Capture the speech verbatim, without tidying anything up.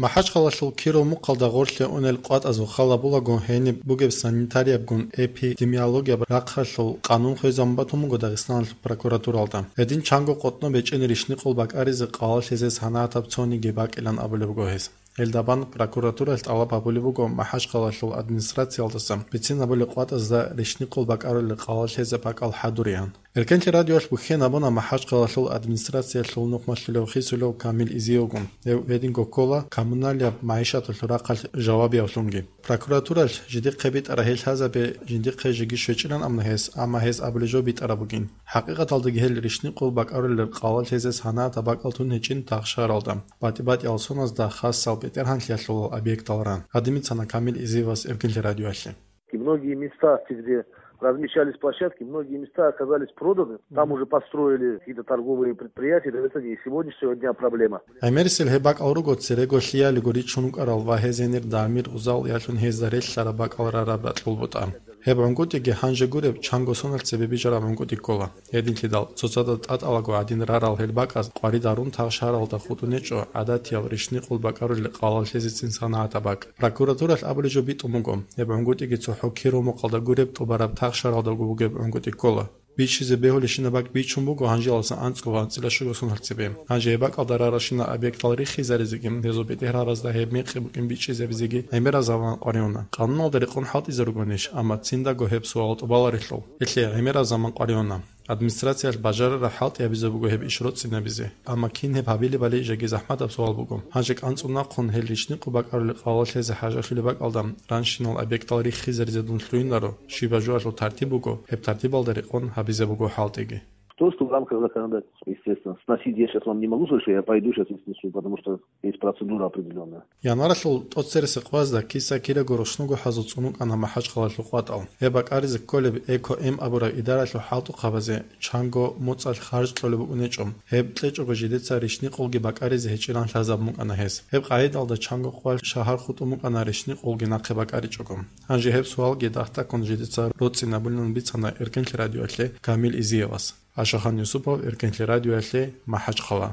МахӀачхъалалъул Киров мухъалда гъорлъе унел къватӀазул хал гьабулаго, гьениб бугеб санитариябгун эпидемиологияб рахъалъул къанун хвезабун батун буго Дагъистаналъул прокуратуралда. Гьедин чанго къотӀноб гьечӀин рищникъул бакӀаризе къалалъизе санагӀатаб цониги бакӀилан абулеб буго гьес. Гьелдабан прокуратуралъ тӀалаб гьабулеб буго МахӀачхъалалъул администрациялдаса бицинабулеб къватӀазда рищникъул бакӀарулел къалалъизе бакӀал хӀадуриан. Эркенлъи радиоялъ бухьен гьабуна МахӀачхъалалъул администрациялъул нухмалъулев хисулев Камил Изиевгун. Гьев гьединго ккола коммуналияб магӀишаталъул рахъалъ жавабиявлъунги. Прокуратуралъ жидехъе битӀараб гьел лъазабе жиндихъе жеги щвечӀилан абуна гьес, амма гьес абулеб жо битӀараб бугин. ХӀакъикъаталдаги гьел рищникъул бакӀарулел къалалъизе санагӀатаб бакӀал тун гьечӀин тахшаралда, батӀи-батӀиял соназда хасал бетӀергьанлъиялъул объектал ран. Гьадин бицана Камил Изиевас Эркенлъи радиоялъе. И многие места, где размещались площадки, многие места оказались проданы. Там уже построили какие-то торговые предприятия. Это не сегодняшнего дня проблема. ГӀемерисел гьеб бакӀал руго церего лъиялиго ричун рукӀарал ва гьез гьенир дамир-узал ялъун гьезда релълъараб бакӀал рараб бакьул бутӀа. Гьеб гӀунгутӀиги гьанже гуреб чанго соналъ цебе бижараб гӀунгутӀи ккола. Гьединлъидал цоцазда тӀатӀалаго гӀадин рарал гьел бакӀаз къварид гьарун тахшаралда хутӀун гьечӀо гӀадатиял рищникъул бакӀарулел къалалъизецин санагӀатаб бакӀ. Прокуратуралъ абулеб жо битӀун буго, гьеб гӀунгутӀиги цохӀо Киров мухъалда гуреб тӀубараб тахшаралдаго бугеб гӀунгутӀи ккола. Бичизе бегьулебщинаб бакӀ бичун буго гьанжеялдаса анцӀго ва анцӀила щуго соналъ цебе. Гьанже гьеб бакӀалда раралщинал объектал рихизаризеги, гьезул бетӀергьанразда гьеб мекъи букӀин бичӀчӀизабизеги гӀемераб заман къваригӀуна. Къануналда рекъон хӀалтӀизе ругонищ, амма циндаго гьеб суал тӀубаларелъул. Гьелъие гӀемераб заман къваригӀуна. Администрациялъ бажарараб хӀалтӀи гьабизе буго гьеб иш роцӀцӀинабизе. Амма кин гьеб гьабилебали жеги захӀматаб суал буго. Гьанже кӀанцӀун нахъун гьел рищникъул бакӀарулел къалалъизе хӀажалъулеб бакӀалда ранщинал объектал рихизаризе дун лъугьинаро, щибаб жоялъул тартиб буго, гьеб тартибалда рекъон гьабизе буго хӀалтӀиги. То, что в рамках законодательства, естественно, сносить я сейчас вам не могу сказать, что я пойду сейчас и снесу, потому что есть процедура определённая. Январалъул тӀоцересекъвазда киса-кираго рушнуго хӀазул цӀунукӀана МахӀачхъалалъул къватӀал. Гьеб бакӀаризе кколеб Эко-М абураб идаралъул хӀалтӀухъабазе чанго моцӀалъ харж кьолеб букӀунечӀо. Гьеб кьечӀого жидеца рищникъулги бакӀаризе гьечӀилан лъазабун букӀана гьес. Гьеб къагӀидалда чанго къвалъ шагьар хутӀун букӀана рищникъулги нахъе бакӀаричӀого. Гьанже гьеб суалги дагь-дагьккун жидеца роцӀцӀинабулин бицана Эркенлъи радиоялъе Камил Изиевас. Ашахан Юсупов, Эркенлъи радиоялъе, МахӀачхъала.